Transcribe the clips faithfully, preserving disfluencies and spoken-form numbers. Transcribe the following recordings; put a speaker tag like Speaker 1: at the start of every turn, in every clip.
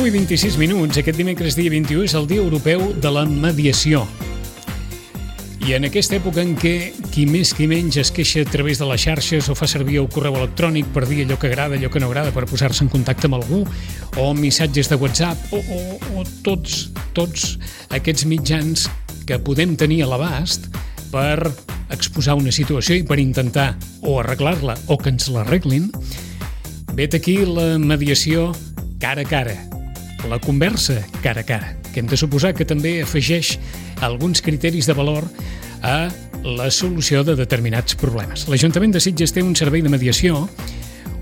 Speaker 1: nou i vint-i-sis minuts. Aquest dimecres dia vint-i-u és el Dia Europeu de la Mediació. I en aquesta època en què qui més qui menys es queixa a través de les xarxes o fa servir el correu electrònic per dir allò que agrada, allò que no agrada, per posar-se en contacte amb algú, o missatges de WhatsApp, o, o, o tots, tots aquests mitjans que podem tenir a l'abast per exposar una situació i per intentar o arreglar-la o que ens l'arreglin, vet aquí la mediació cara a cara, la conversa cara a cara, que hem de suposar que també afegeix alguns criteris de valor a la solució de determinats problemes. L'Ajuntament de Sitges té un servei de mediació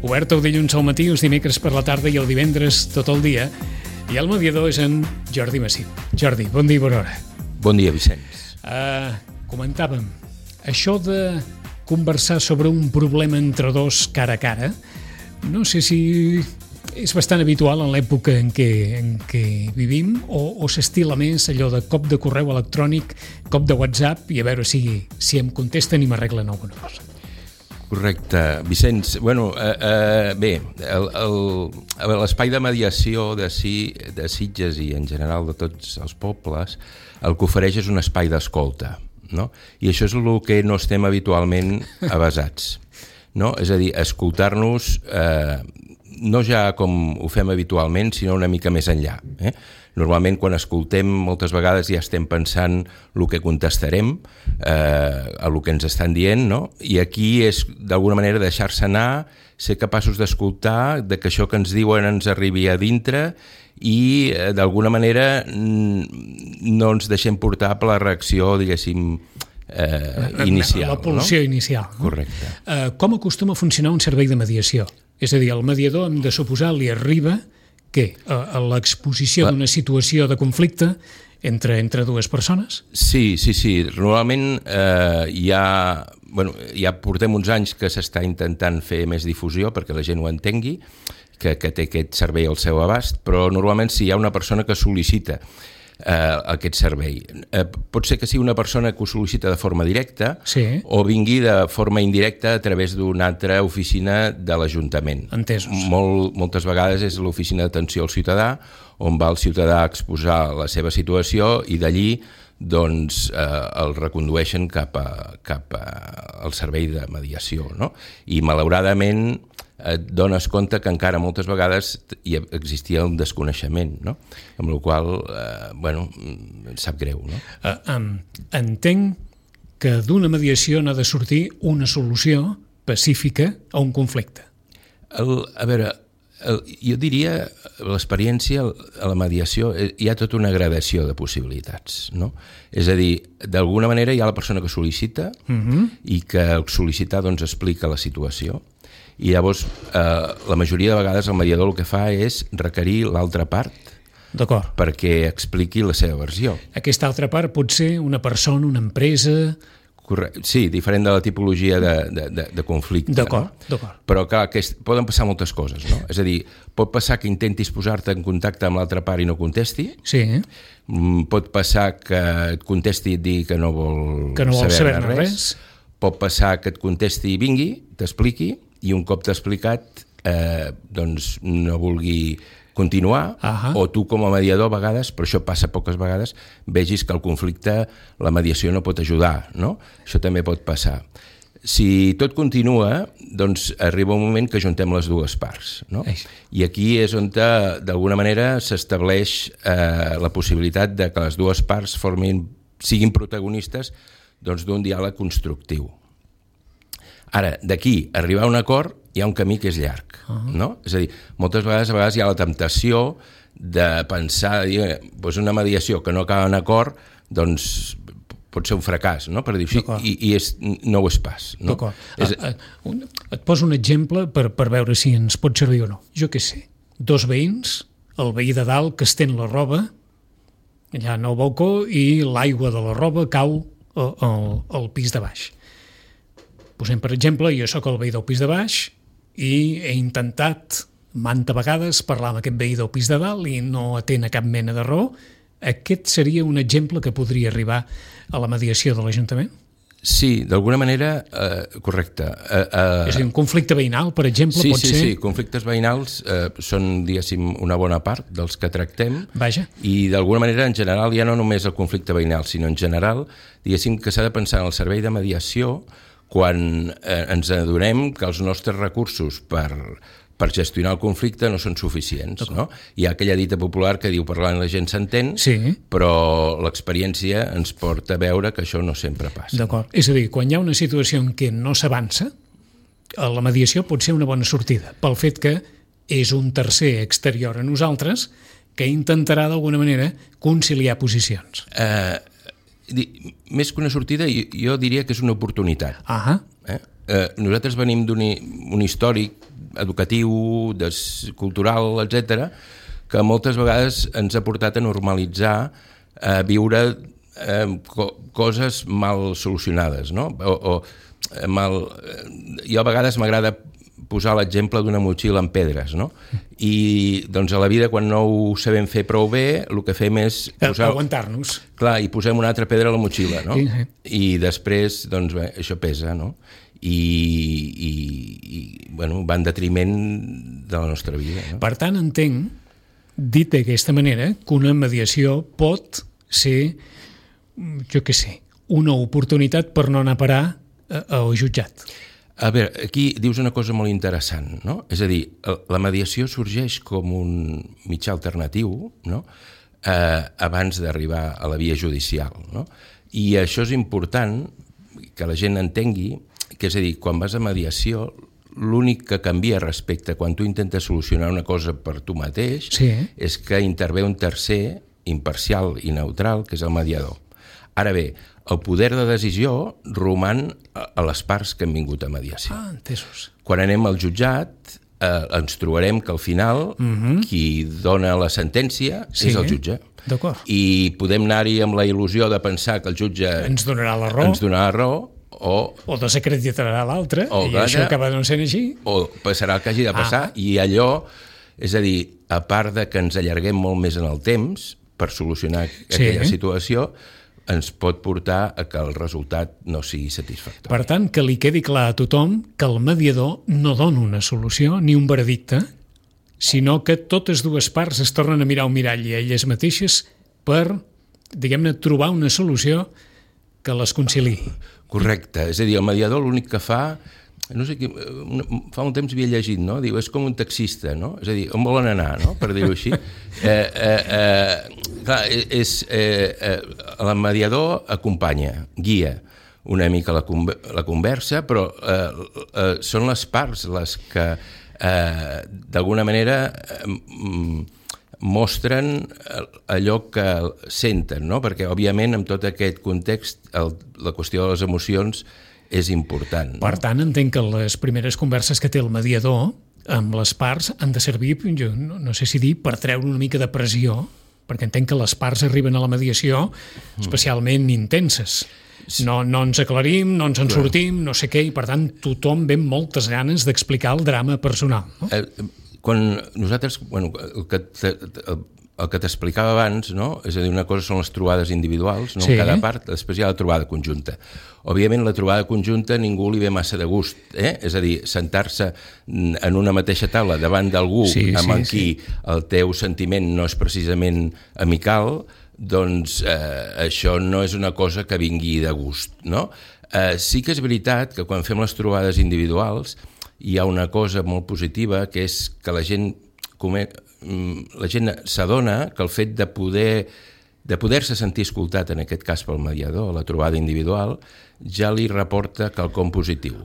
Speaker 1: obert el dilluns al matí, els dimecres per la tarda i el divendres tot el dia, i el mediador és en Jordi Massip. Jordi, bon dia i bona hora.
Speaker 2: Bon dia, Vicenç.
Speaker 1: Uh, comentàvem, això de conversar sobre un problema entre dos cara a cara, no sé si és bastant habitual en l'època en què, en què vivim, o, o s'estila més allò de cop de correu electrònic, cop de WhatsApp, i a veure si, si em contesten i m'arreglen alguna cosa.
Speaker 2: Correcte. Vicenç, bueno, eh, eh, bé, el, el, l'espai de mediació de, si, de Sitges i en general de tots els pobles, el que ofereix és un espai d'escolta, no? I això és el que no estem habitualment avasats, no? És a dir, escoltar-nos eh, no ja com ho fem habitualment, sinó una mica més enllà. Eh? Normalment, quan escoltem, moltes vegades ja estem pensant el que contestarem, eh, a el que ens estan dient, no? I aquí és, d'alguna manera, deixar-se anar, ser capaços d'escoltar, de que això que ens diuen ens arribi a dintre i, eh, d'alguna manera, no ens deixem portar per la reacció, diguéssim, eh, inicial.
Speaker 1: La pulsió
Speaker 2: no?
Speaker 1: inicial. No?
Speaker 2: Correcte.
Speaker 1: Eh, com acostuma a funcionar un servei de mediació? És a dir, el mediador, hem de suposar, li arriba què? A, a l'exposició d'una situació de conflicte entre, entre dues persones?
Speaker 2: Sí, sí, sí. Normalment eh, ja, bueno, ja portem uns anys que s'està intentant fer més difusió perquè la gent ho entengui, que, que té aquest servei al seu abast, però normalment si hi ha una persona que sol·licita eh, aquest servei. Eh, pot ser que sigui una persona que ho sol·licita de forma directa,
Speaker 1: sí,
Speaker 2: o vingui de forma indirecta a través d'una altra oficina de l'Ajuntament.
Speaker 1: Entesos.
Speaker 2: Molt, moltes vegades és l'oficina d'atenció al ciutadà, on va el ciutadà a exposar la seva situació i d'allí doncs, eh, el recondueixen cap, a, cap a, al servei de mediació. No? I malauradament et dones compte que encara moltes vegades hi existia un desconeixement, no? Amb la qual cosa, eh, bueno, em sap greu. No?
Speaker 1: Uh, um, entenc que d'una mediació n'ha de sortir una solució pacífica a un conflicte.
Speaker 2: El, a veure, el, jo diria, l'experiència a la mediació hi ha tota una gradació de possibilitats, no? És a dir, d'alguna manera hi ha la persona que sol·licita uh-huh. i que el sol·licitar doncs, explica la situació. I llavors, eh, la majoria de vegades el mediador el que fa és requerir l'altra part
Speaker 1: D'acord.
Speaker 2: perquè expliqui la seva versió.
Speaker 1: Aquesta altra part pot ser una persona, una empresa...
Speaker 2: Correcte. Sí, diferent de la tipologia de, de, de, de conflicte.
Speaker 1: D'acord,
Speaker 2: no?
Speaker 1: d'acord.
Speaker 2: Però clar, que és, poden passar moltes coses, no? És a dir, pot passar que intentis posar-te en contacte amb l'altra part i no contesti.
Speaker 1: Sí.
Speaker 2: Pot passar que et contesti i et digui que no vol,
Speaker 1: que no vol
Speaker 2: saber,
Speaker 1: saber res.
Speaker 2: res. Pot passar que et contesti i vingui, t'expliqui, i un cop t'ha explicat eh, doncs no vulgui continuar,
Speaker 1: uh-huh.
Speaker 2: o tu com a mediador a vegades, però això passa poques vegades, vegis que el conflicte, la mediació no pot ajudar, no? Això també pot passar. Si tot continua, doncs arriba un moment que juntem les dues parts, no?
Speaker 1: Eix.
Speaker 2: I aquí és on d'alguna manera s'estableix eh, la possibilitat de que les dues parts formin, siguin protagonistes doncs, d'un diàleg constructiu. Ara, d'aquí arribar a un acord hi ha un camí que és llarg, uh-huh. no? És a dir, moltes vegades, a vegades hi ha la temptació de pensar, dir, doncs una mediació que no acaba en acord, doncs pot ser un fracàs, no? Per dir així, i, i és, no ho és pas. No?
Speaker 1: D'acord.
Speaker 2: És...
Speaker 1: A, a, un, et poso un exemple per, per veure si ens pot servir o no. Jo què sé, dos veïns, el veí de dalt que estén la roba allà en el balcó i l'aigua de la roba cau al, al, al pis de baix. Posem, per exemple, jo sóc el veí del pis de baix i he intentat manta vegades parlar amb aquest veí del pis de dalt i no atén a cap mena de raó. Aquest seria un exemple que podria arribar a la mediació de l'Ajuntament?
Speaker 2: Sí, d'alguna manera, eh, correcte. Eh, eh,
Speaker 1: és a dir, un conflicte veïnal, per exemple,
Speaker 2: sí,
Speaker 1: pot
Speaker 2: sí,
Speaker 1: ser...
Speaker 2: Sí, sí, conflictes veïnals eh, són, diguéssim, una bona part dels que tractem.
Speaker 1: Vaja.
Speaker 2: I d'alguna manera, en general, ja no només el conflicte veïnal, sinó en general, diguéssim que s'ha de pensar en el servei de mediació quan eh, ens adonem que els nostres recursos per... per gestionar el conflicte no són suficients. No? Hi ha aquella dita popular que diu parlant la gent s'entén,
Speaker 1: sí.
Speaker 2: però l'experiència ens porta a veure que això no sempre passa.
Speaker 1: D'acord. És a dir, quan hi ha una situació en què no s'avança, la mediació pot ser una bona sortida, pel fet que és un tercer exterior a nosaltres que intentarà d'alguna manera conciliar posicions.
Speaker 2: Eh, més que una sortida, jo diria que és una oportunitat.
Speaker 1: Ah.
Speaker 2: Eh? Eh, nosaltres venim d'un un històric educatiu, des, cultural, etcètera, que moltes vegades ens ha portat a normalitzar eh, viure eh, co coses mal solucionades, no? O, o mal... Jo a vegades m'agrada posar l'exemple d'una motxilla amb pedres, no? I doncs a la vida, quan no ho sabem fer prou bé, el que fem és posar...
Speaker 1: aguantar-nos.
Speaker 2: Clar, i posem una altra pedra a la motxilla, no?
Speaker 1: Sí, sí.
Speaker 2: I després, doncs bé, això pesa, no? I, i, i bueno, va en detriment de la nostra vida. No?
Speaker 1: Per tant, entenc, dit d'aquesta manera, que una mediació pot ser, jo què sé, una oportunitat per no anar a parar al jutjat.
Speaker 2: A veure, aquí dius una cosa molt interessant, no? És a dir, la mediació sorgeix com un mitjà alternatiu, no? eh, abans d'arribar a la via judicial, no? I això és important que la gent entengui, que és a dir, quan vas a mediació, l'únic que canvia respecte a quan tu intentes solucionar una cosa per tu mateix
Speaker 1: sí.
Speaker 2: és que intervé un tercer imparcial i neutral, que és el mediador. Ara bé, el poder de decisió roman a les parts que han vingut a mediació.
Speaker 1: Ah, entesos.
Speaker 2: Quan anem al jutjat, eh, ens trobarem que al final uh-huh. qui dona la sentència sí. és el jutge.
Speaker 1: D'acord.
Speaker 2: I podem anar-hi amb la il·lusió de pensar que el jutge
Speaker 1: ens donarà la raó,
Speaker 2: ens donarà la raó o,
Speaker 1: o desacreditarà l'altre, i
Speaker 2: gana,
Speaker 1: això acaba no sent així.
Speaker 2: O passarà el que hagi de passar, ah. i allò, és a dir, a part de que ens allarguem molt més en el temps per solucionar sí. aquella situació, ens pot portar a que el resultat no sigui satisfactori.
Speaker 1: Per tant, que li quedi clar a tothom que el mediador no dona una solució ni un veredicte, sinó que totes dues parts es tornen a mirar un mirall i elles mateixes per, diguem-ne, trobar una solució que les conciliï.
Speaker 2: Correcte, és a dir, el mediador l'únic que fa, no sé, fa un temps havia llegit, no? Diu, és com un taxista, no? És a dir, on volen anar, no? Per dir-ho així. Eh, eh, eh, clar, és, eh, eh, el mediador acompanya, guia una mica la, la conversa, però eh, eh, són les parts les que eh, d'alguna manera eh, mostren allò que senten, no? Perquè, òbviament, en tot aquest context, el, la qüestió de les emocions és important. No?
Speaker 1: Per tant, entenc que les primeres converses que té el mediador amb les parts han de servir, jo no, no sé si dir, per treure una mica de pressió, perquè entenc que les parts arriben a la mediació especialment intenses. No, no ens aclarim, no ens en sortim, no sé què, i per tant tothom ve amb moltes ganes d'explicar el drama personal. No?
Speaker 2: Eh, quan nosaltres, bueno, el que el que t'explicava abans, no? És a dir, una cosa són les trobades individuals, no? Sí. En cada part, després hi ha la trobada conjunta. Òbviament, la trobada conjunta ningú li ve massa de gust, eh? És a dir, sentar-se en una mateixa taula davant d'algú sí, amb sí, qui sí. el teu sentiment no és precisament amical, doncs eh, això no és una cosa que vingui de gust, no? Eh, sí que és veritat que quan fem les trobades individuals hi ha una cosa molt positiva, que és que la gent la gent s'adona que el fet de poder de poder-se sentir escoltat, en aquest cas pel mediador, la trobada individual, ja li reporta quelcom positiu.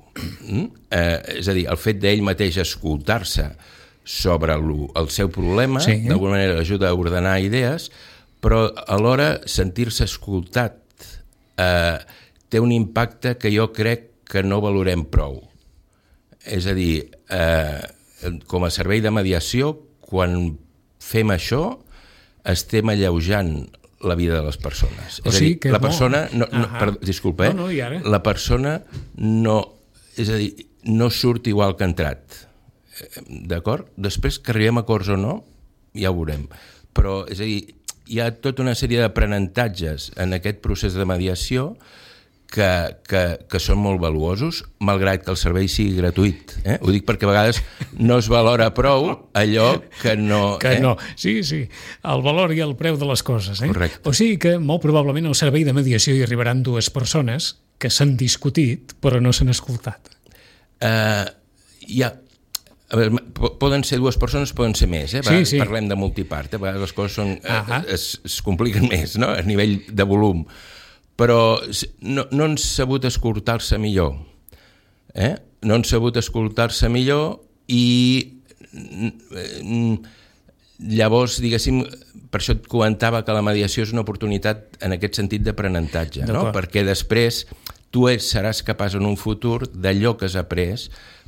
Speaker 2: Mm? Eh, és a dir, el fet d'ell mateix escoltar-se sobre el, el seu problema, sí. d'alguna manera ajuda a ordenar idees, però alhora sentir-se escoltat eh, té un impacte que jo crec que no valorem prou. És a dir, eh, com a servei de mediació, quan fem això, estem alleujant la vida de les persones.
Speaker 1: O
Speaker 2: és
Speaker 1: sigui,
Speaker 2: a dir, la persona... No, no,
Speaker 1: ah,
Speaker 2: per, disculpa, eh?
Speaker 1: No, no, i ara?
Speaker 2: La persona no... És a dir, no surt igual que ha entrat. D'acord? Després que arribem a acords o no, ja ho veurem. Però, és a dir, hi ha tota una sèrie d'aprenentatges en aquest procés de mediació que, que, que són molt valuosos, malgrat que el servei sigui gratuït. Eh? Ho dic perquè a vegades no es valora prou allò que no...
Speaker 1: Que
Speaker 2: eh?
Speaker 1: no, sí, sí, el valor i el preu de les coses. Eh?
Speaker 2: Correcte.
Speaker 1: O sigui que molt probablement al servei de mediació hi arribaran dues persones que s'han discutit però no s'han escoltat.
Speaker 2: Uh, hi ha... A veure, poden ser dues persones, poden ser més, eh?
Speaker 1: Sí, sí.
Speaker 2: Parlem de multipart, eh? A vegades les coses són,
Speaker 1: uh-huh.
Speaker 2: es, es compliquen més, no?, a nivell de volum, però no, no han sabut escoltar-se millor, eh? No han sabut escoltar-se millor i llavors, diguéssim, per això et comentava que la mediació és una oportunitat en aquest sentit d'aprenentatge, no? Perquè després tu seràs capaç en un futur d'allò que has après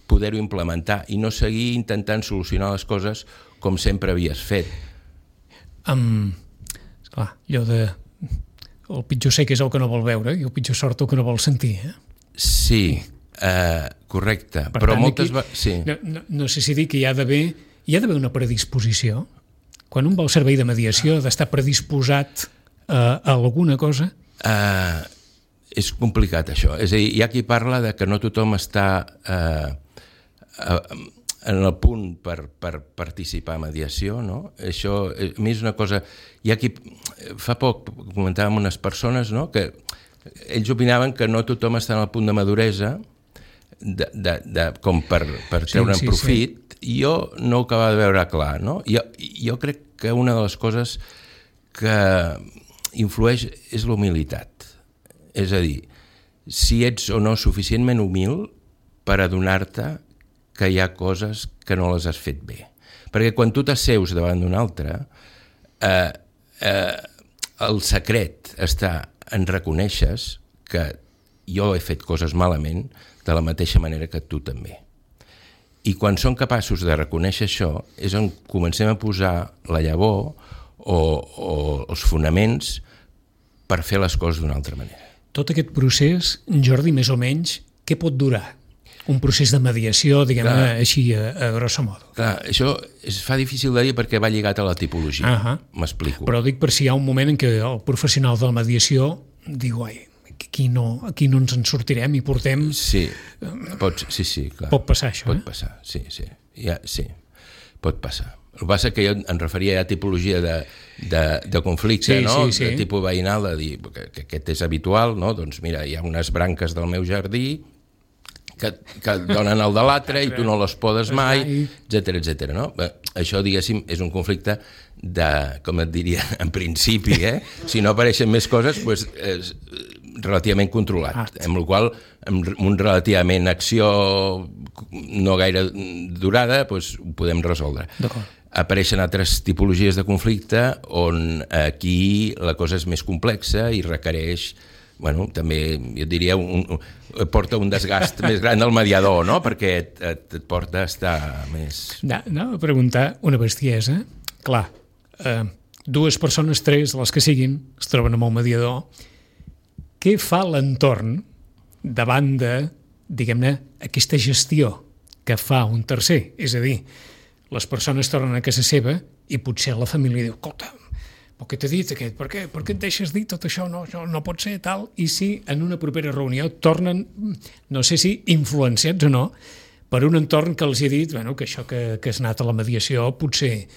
Speaker 2: poder-ho implementar i no seguir intentant solucionar les coses com sempre havies fet.
Speaker 1: Um, esclar, allò de el pitjor sec és el que no vol veure i el pitjor sort el que no vol sentir. Eh?
Speaker 2: Sí, uh, correcte.
Speaker 1: Per
Speaker 2: però
Speaker 1: tant,
Speaker 2: moltes...
Speaker 1: aquí,
Speaker 2: Va... sí.
Speaker 1: no, no, no sé si dir que hi ha d'haver hi ha d'haver una predisposició. Quan un va al servei de mediació ha d'estar predisposat a, a alguna cosa?
Speaker 2: Uh, és complicat, això. És a dir, hi ha qui parla de que no tothom està... Uh, en el punt per, per participar a mediació, no? Això a mi és una cosa... Hi ha qui... Fa poc comentàvem unes persones, no?, que ells opinaven que no tothom està en el punt de maduresa de, de, de, com per, per treure'n
Speaker 1: sí, sí,
Speaker 2: profit, sí. I jo no ho acabava de veure clar, no? Jo, jo crec que una de les coses que influeix és la humilitat. És a dir, si ets o no suficientment humil per adonar-te que hi ha coses que no les has fet bé. Perquè quan tu t'asseus davant d'un altre, eh, eh, el secret està en reconèixer que jo he fet coses malament de la mateixa manera que tu també. I quan som capaços de reconèixer això és on comencem a posar la llavor o, o els fonaments per fer les coses d'una altra manera.
Speaker 1: Tot aquest procés, Jordi, més o menys, què pot durar? Un procés de mediació, diguem-ne, així, a, a grosso modo.
Speaker 2: Clar, això es fa difícil de dir perquè va lligat a la tipologia.
Speaker 1: Uh-huh.
Speaker 2: M'explico.
Speaker 1: Però dic per si hi ha un moment en què el professional de la mediació diu, ai, aquí no, aquí no ens en sortirem i portem...
Speaker 2: Sí, pot, sí, sí, clar.
Speaker 1: Pot passar això,
Speaker 2: pot
Speaker 1: eh?
Speaker 2: Pot passar, sí, sí. Ja, sí, pot passar. El que passa que jo em referia a tipologia de, de, de conflicte,
Speaker 1: sí,
Speaker 2: no?
Speaker 1: Sí, sí.
Speaker 2: De tipus veïnal, de dir que, que aquest és habitual, no? Doncs mira, hi ha unes branques del meu jardí que, que donen el de l'altre i tu no les podes mai, etcètera, etcètera, no? Bé, això, diguéssim, és un conflicte de, com et diria, en principi, eh? Si no apareixen més coses, doncs és relativament controlat, Art. Amb la qual amb un relativament acció no gaire durada, doncs ho podem resoldre. Apareixen altres tipologies de conflicte on aquí la cosa és més complexa i requereix, bueno, també, jo diria, un, un, porta un desgast més gran del mediador, no?, perquè et, et, et porta a estar més...
Speaker 1: No, no, a preguntar una bestiesa. Clar, eh, dues persones, tres, les que siguin, es troben amb el mediador. Què fa l'entorn davant de, diguem-ne, aquesta gestió que fa un tercer? És a dir, les persones tornen a casa seva i potser la família diu, escolta, però què t'he dit aquest? Per què? Per què et deixes dir tot això? No, això no pot ser tal. I si en una propera reunió tornen, no sé si influenciats o no, per un entorn que els ha dit bueno, que això que, que has anat a la mediació potser,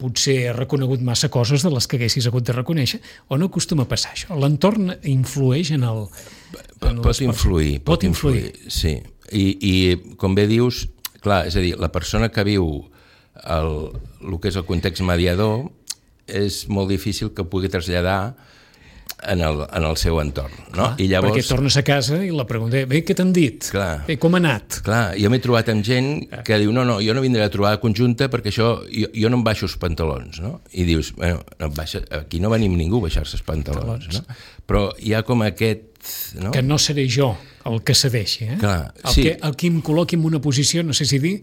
Speaker 1: potser ha reconegut massa coses de les que haguessis hagut de reconèixer, o no acostuma a passar això? L'entorn influeix en el... En
Speaker 2: pot influir, pot, pot influir, influir, sí. I, I com bé dius, clar, és a dir, la persona que viu el, el que és el context mediador és molt difícil que pugui traslladar en el, en el seu entorn. No?
Speaker 1: Clar,
Speaker 2: I llavors,
Speaker 1: perquè tornes a casa i la pregunta, bé, què t'han dit?
Speaker 2: Clar,
Speaker 1: bé, com ha anat?
Speaker 2: Clar, jo m'he trobat amb gent que diu, no, no, jo no vindré a trobar conjunta perquè això, jo, jo no em baixo els pantalons, no? I dius, bueno, no baixa, aquí no venim ningú a baixar-se els pantalons, no? Però hi ha com aquest... No?
Speaker 1: Que no seré jo el que cedeixi, eh?
Speaker 2: Clar,
Speaker 1: el,
Speaker 2: sí.
Speaker 1: que, el que em col·loqui en una posició, no sé si dir,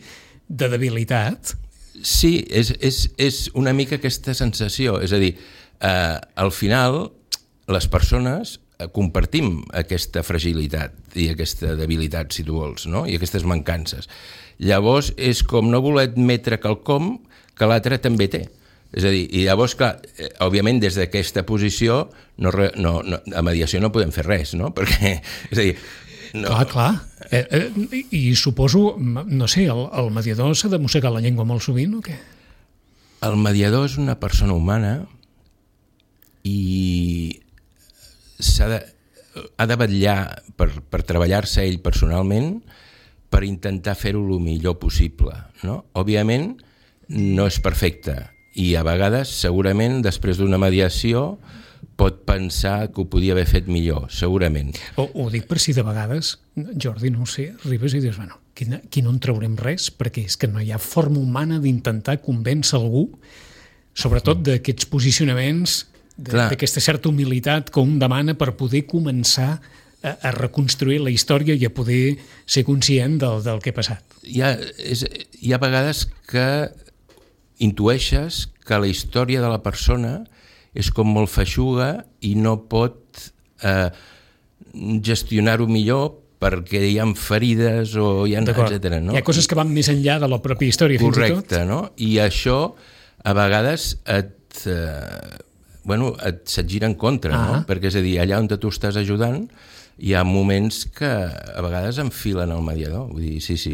Speaker 1: de debilitat.
Speaker 2: Sí, és, és, és una mica aquesta sensació, és a dir, eh, al final les persones compartim aquesta fragilitat i aquesta debilitat, si tu vols, no? I aquestes mancances. Llavors és com no voler admetre quelcom que l'altre també té. És a dir, i llavors, clar, eh, òbviament des d'aquesta posició no, no, no, a mediació no podem fer res, no? Perquè, és a dir... No...
Speaker 1: Clar, clar. Eh, eh, I suposo, no sé, el, el mediador s'ha de mossegar la llengua molt sovint o què?
Speaker 2: El mediador és una persona humana i s'ha de, ha de vetllar per, per treballar-se ell personalment per intentar fer-ho el millor possible, no? Òbviament no és perfecte i a vegades segurament després d'una mediació pot pensar que ho podia haver fet millor, segurament.
Speaker 1: O, ho dic per si de vegades, Jordi, no ho sé, arribes i dius, bueno, aquí, aquí no en traurem res perquè és que no hi ha forma humana d'intentar convèncer algú, sobretot d'aquests posicionaments, d'aquesta certa humilitat que un demana per poder començar a, a reconstruir la història i a poder ser conscient del, del que ha passat.
Speaker 2: Hi ha, és, hi ha vegades que intueixes que la història de la persona és com molt feixuga i no pot eh, gestionar-ho millor perquè hi ha ferides o hi ha etcètera. No?
Speaker 1: Hi ha coses que van més enllà de la pròpia història,
Speaker 2: correcte,
Speaker 1: fins i tot.
Speaker 2: Correcte, no? I això a vegades et, eh, bueno, et se't gira en contra, ah. no? Perquè és a dir, allà on tu estàs ajudant hi ha moments que a vegades enfilen el mediador, vull dir, sí, sí.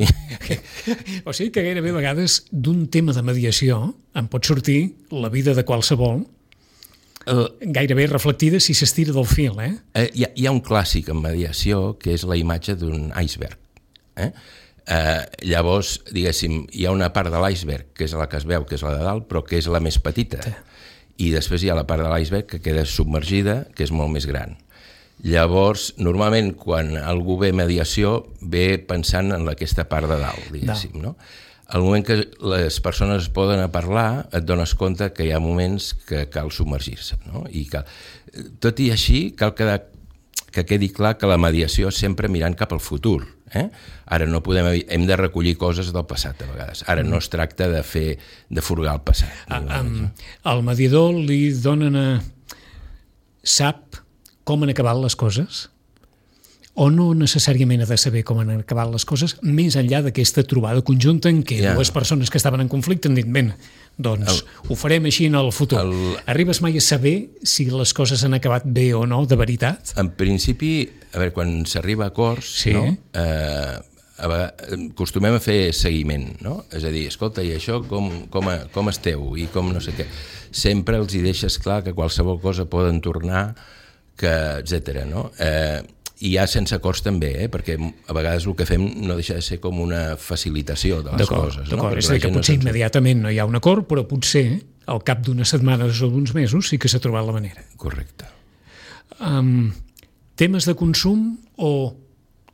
Speaker 1: O sigui que gairebé a vegades d'un tema de mediació en pot sortir la vida de qualsevol el... gairebé reflectida si s'estira del fil, eh?
Speaker 2: eh hi, ha, hi ha un clàssic en mediació que és la imatge d'un iceberg. Eh? Eh, llavors, diguéssim, hi ha una part de l'iceberg que és la que es veu, que és la de dalt, però que és la més petita. Sí. I després hi ha la part de l'iceberg que queda submergida, que és molt més gran. Llavors, normalment, quan algú ve mediació, ve pensant en aquesta part de dalt, diguéssim, no? Al moment que les persones es poden a parlar, et dones compte que hi ha moments que cal submergir-se, no? I cal... Tot i així, cal quedar, que quedi clar que la mediació és sempre mirant cap al futur. Eh? Ara no podem... Hem de recollir coses del passat, a vegades. Ara no es tracta de fer de furgar el passat.
Speaker 1: Ah, um, al mediador li donen a... Sap com han acabat les coses? O no necessàriament ha de saber com han acabat les coses, més enllà d'aquesta trobada conjunta en què yeah. dues persones que estaven en conflicte han dit, ben, doncs el, ho farem així en el futur. El, Arribes mai a saber si les coses han acabat bé o no, de veritat?
Speaker 2: En principi, a veure, quan s'arriba a acords, sí. no? eh, a vegades, acostumem a fer seguiment, no? És a dir, escolta, i això com, com, a, com esteu? I com no sé què. Sempre els hi deixes clar que qualsevol cosa poden tornar, que etcètera, no? Eh, i ja sense acords també, eh? Perquè a vegades el que fem no deixa de ser com una facilitació de les coses.
Speaker 1: D'acord, no? És a dir que potser no immediatament no hi ha un acord, però potser al cap d'unes setmanes o d'uns mesos sí que s'ha trobat la manera.
Speaker 2: Correcte.
Speaker 1: Um, temes de consum o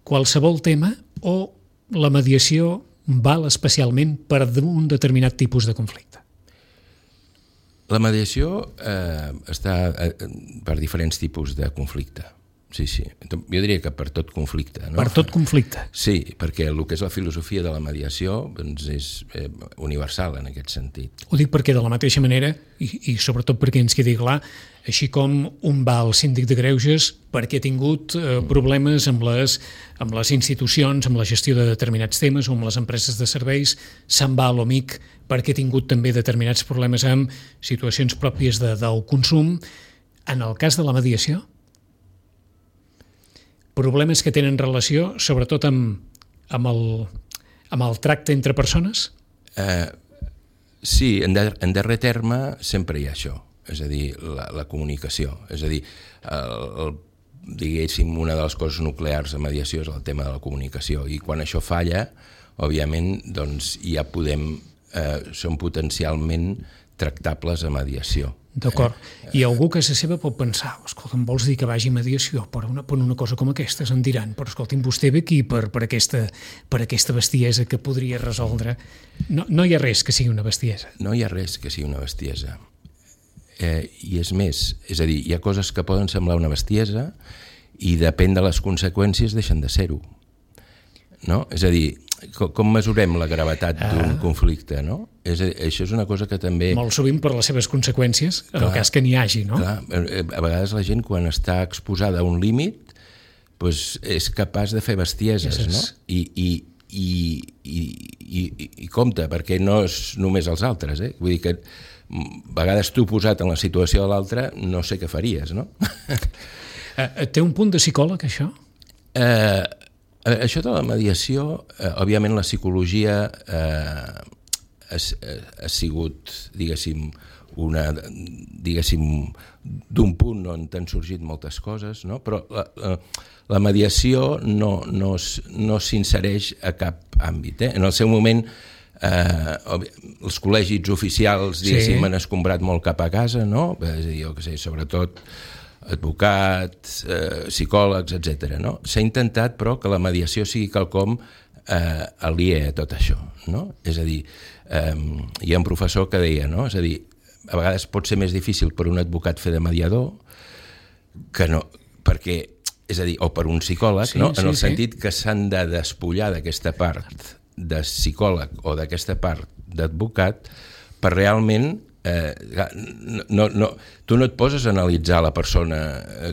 Speaker 1: qualsevol tema o la mediació val especialment per un determinat tipus de conflicte?
Speaker 2: La mediació eh, està eh, per diferents tipus de conflicte. Sí, sí. Jo diria que per tot conflicte. No?
Speaker 1: Per tot conflicte.
Speaker 2: Sí, perquè el que és la filosofia de la mediació doncs és eh, universal en aquest sentit.
Speaker 1: Ho dic perquè de la mateixa manera, i, i sobretot perquè ens quedi clar, així com un va al síndic de greuges perquè ha tingut eh, problemes amb les, amb les institucions, amb la gestió de determinats temes o amb les empreses de serveis, se'n va a l'O M I C perquè ha tingut també determinats problemes amb situacions pròpies de, del consum. En el cas de la mediació, problemes que tenen relació sobretot amb, amb, el, amb el tracte entre persones?
Speaker 2: Eh, sí, en, de, en darrer terme sempre hi ha això, és a dir, la, la comunicació. És a dir, el, el, diguéssim, una de les coses nuclears de mediació és el tema de la comunicació, i quan això falla, òbviament, doncs ja podem, eh, són potencialment tractables a mediació.
Speaker 1: D'acord. I algú que se seva pot pensar, escolta, em vols dir que vagi a mediació per una, per una cosa com aquesta? Em diran, però escolti'm, vostè ve aquí per, per, aquesta, per aquesta bestiesa que podria resoldre. No, no hi ha res que sigui una bestiesa.
Speaker 2: No hi ha res que sigui una bestiesa. Eh, I és més, és a dir, hi ha coses que poden semblar una bestiesa i depèn de les conseqüències deixen de ser-ho. No? És a dir, com, com mesurem la gravetat d'un ah. conflicte, no? És, això és una cosa que també...
Speaker 1: Molt sovint per les seves conseqüències, en clar, el cas que n'hi hagi, no?
Speaker 2: Clar, a vegades la gent quan està exposada a un límit doncs és capaç de fer bestieses, yes, no? I, i, i, i, i, i compte, perquè no és només els altres, eh? Vull dir que a vegades tu posat en la situació de l'altre no sé què faries, no?
Speaker 1: Té un punt de psicòleg, això?
Speaker 2: Eh, això de la mediació, eh, òbviament la psicologia eh, ha, ha sigut, diguéssim, una, diguéssim, d'un punt on t'han sorgit moltes coses, no? Però la, la, la mediació no, no, no s'insereix a cap àmbit. Eh? En el seu moment, eh, els col·legis oficials, diguéssim, sí. han escombrat molt cap a casa, no? És a dir, jo què sé, sobretot advocats, eh, psicòlegs, etcètera. No? S'ha intentat, però, que la mediació sigui quelcom eh, aliè a tot això. No? És a dir, eh, hi ha un professor que deia, no? És a dir, a vegades pot ser més difícil per un advocat fer de mediador que no, perquè, és a dir, o per un psicòleg, sí, no? En sí, el sentit sí. que s'han de despullar d'aquesta part de psicòleg o d'aquesta part d'advocat per realment Eh, no, no, tu no et poses a analitzar la persona eh,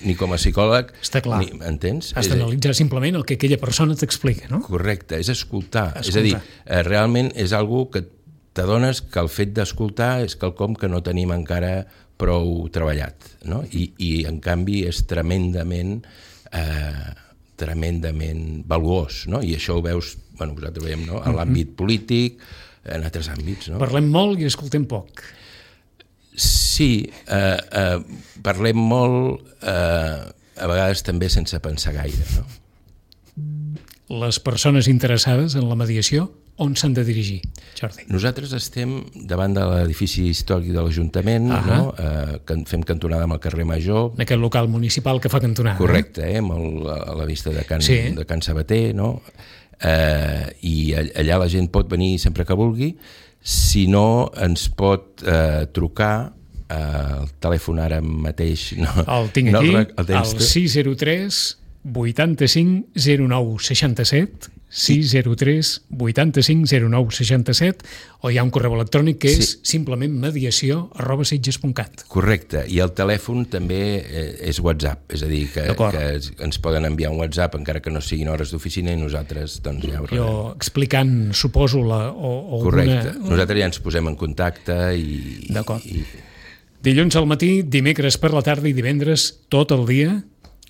Speaker 2: ni com a psicòleg.
Speaker 1: Està clar.
Speaker 2: Ni, entens?
Speaker 1: Has d'analitzar simplement el que aquella persona t'explica, no?
Speaker 2: Correcte, és escoltar.
Speaker 1: escoltar.
Speaker 2: És a dir, eh, realment és algo que t'adones que el fet d'escoltar és quelcom que no tenim encara prou treballat, no? I, i en canvi és tremendament eh, tremendament valuós, no? I això ho veus, bueno, vosaltres veiem, no? En l'àmbit polític, en altres àmbits. No?
Speaker 1: Parlem molt i escoltem poc.
Speaker 2: Sí, eh, eh, parlem molt, eh, a vegades també sense pensar gaire. No?
Speaker 1: Les persones interessades en la mediació, on s'han de dirigir, Jordi?
Speaker 2: Nosaltres estem davant de l'edifici històric de l'Ajuntament, uh-huh. no? eh, que fem cantonada amb el carrer Major.
Speaker 1: En aquest local municipal que fa cantonada.
Speaker 2: Correcte, eh? Amb el, a la vista de Can,
Speaker 1: sí.
Speaker 2: de Can Sabater, no? Eh, i allà la gent pot venir sempre que vulgui, si no ens pot eh, trucar eh, el telèfon ara mateix no,
Speaker 1: el tinc
Speaker 2: no,
Speaker 1: aquí,
Speaker 2: el, el,
Speaker 1: el sis zero tres vuitanta-cinc zero nou seixanta-set sis zero tres vuitanta-cinc zero nou seixanta-set, o hi ha un correu electrònic que és sí. simplement mediació arroba sitges punt cat.
Speaker 2: Correcte, i el telèfon també és WhatsApp, és a dir, que, que ens poden enviar un WhatsApp encara que no siguin hores d'oficina i nosaltres doncs ja ho rebem.
Speaker 1: Jo explicant, suposo, la, o, o
Speaker 2: correcte,
Speaker 1: una...
Speaker 2: nosaltres ja ens posem en contacte i...
Speaker 1: D'acord.
Speaker 2: I...
Speaker 1: Dilluns al matí, dimecres per la tarda i divendres tot el dia,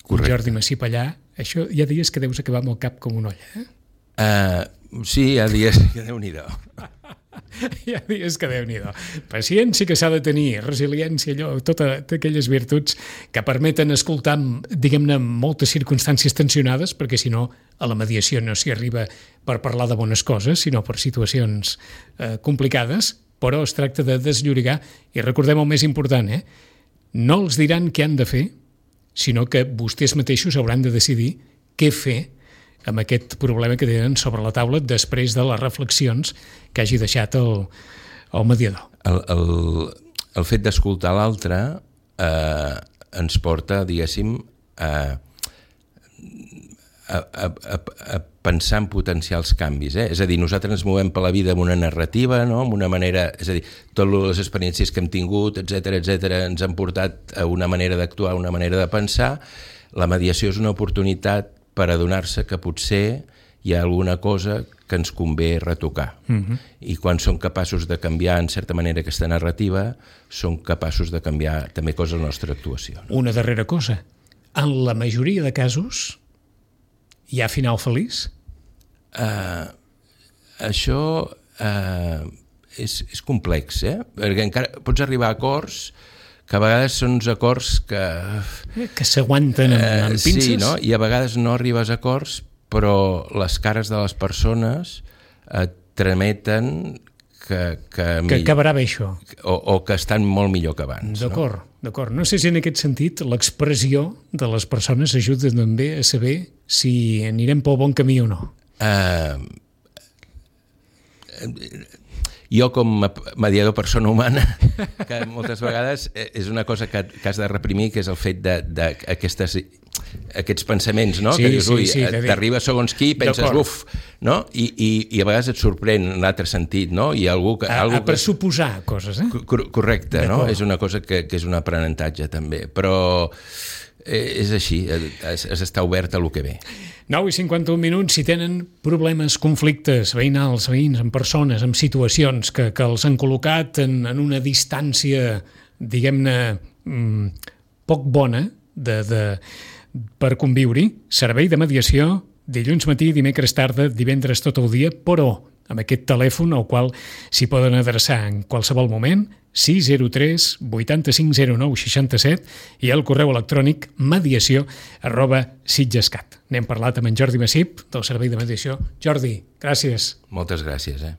Speaker 2: correcte.
Speaker 1: Jordi Massip allà. Això hi ha dies que deus acabar amb el cap com una olla, eh?
Speaker 2: Uh, sí, hi ha dies que Déu-n'hi-do.
Speaker 1: Hi ha dies que Déu-n'hi-do. Paciència que s'ha de tenir, resiliència, allò, totes aquelles virtuts que permeten escoltar, diguem-ne, moltes circumstàncies tensionades, perquè si no, a la mediació no s'hi arriba per parlar de bones coses, sinó per situacions eh, complicades, però es tracta de desllorigar, i recordem el més important, eh? No els diran què han de fer, sinó que vostès mateixos hauran de decidir què fer amb aquest problema que tenen sobre la taula després de les reflexions que hagi deixat el, el mediador.
Speaker 2: El, el, el fet d'escoltar l'altre eh, ens porta, diguéssim, a, a, a, a pensar en potencials canvis. Eh? És a dir, nosaltres ens movem per la vida amb una narrativa, no? Amb una manera, és a dir, totes les experiències que hem tingut, etcètera, etcètera, ens han portat a una manera d'actuar, una manera de pensar. La mediació és una oportunitat per adonar-se que potser hi ha alguna cosa que ens convé retocar. Uh-huh. I quan som capaços de canviar, en certa manera, aquesta narrativa, som capaços de canviar també coses a la nostra actuació. No?
Speaker 1: Una darrera cosa. En la majoria de casos, hi ha final feliç?
Speaker 2: Uh, això uh, és, és complex, eh? Perquè encara pots arribar a acords que a vegades són uns acords que...
Speaker 1: Que s'aguanten amb, amb pinces.
Speaker 2: Sí, no? I a vegades no arribes a acords, però les cares de les persones et trameten que... Que,
Speaker 1: que acabarà bé això.
Speaker 2: O, o que estan molt millor que abans.
Speaker 1: D'acord,
Speaker 2: no?
Speaker 1: d'acord. No sé si en aquest sentit l'expressió de les persones ajuda també a saber si anirem pel bon camí o no. Uh,
Speaker 2: jo com a mediador persona humana, que moltes vegades és una cosa que, que has de reprimir, que és el fet d'aquestes aquests pensaments, no?
Speaker 1: Sí,
Speaker 2: que dius, ui,
Speaker 1: sí, sí,
Speaker 2: t'arriba segons qui i penses, uf, no? I, i, i a vegades et sorprèn en l'altre sentit, no? I algú que,
Speaker 1: a,
Speaker 2: algú
Speaker 1: a pressuposar que... coses, eh?
Speaker 2: Correcte, no? És una cosa que, que és un aprenentatge també, però eh, és així, has d'estar obert a lo que ve.
Speaker 1: nou i cinquanta-un minuts. Si tenen problemes, conflictes veïnals, veïns, amb persones, amb situacions que, que els han col·locat en, en una distància, diguem-ne, mmm, poc bona de, de, per conviure-hi, servei de mediació, dilluns matí, dimecres tarda, divendres tot el dia, però amb aquest telèfon al qual s'hi poden adreçar en qualsevol moment, sis zero tres vuitanta-cinc zero nou seixanta-set, i el correu electrònic mediació arroba sitgescat. N'hem parlat amb en Jordi Massip, del Servei de Mediació. Jordi, gràcies.
Speaker 2: Moltes gràcies, eh?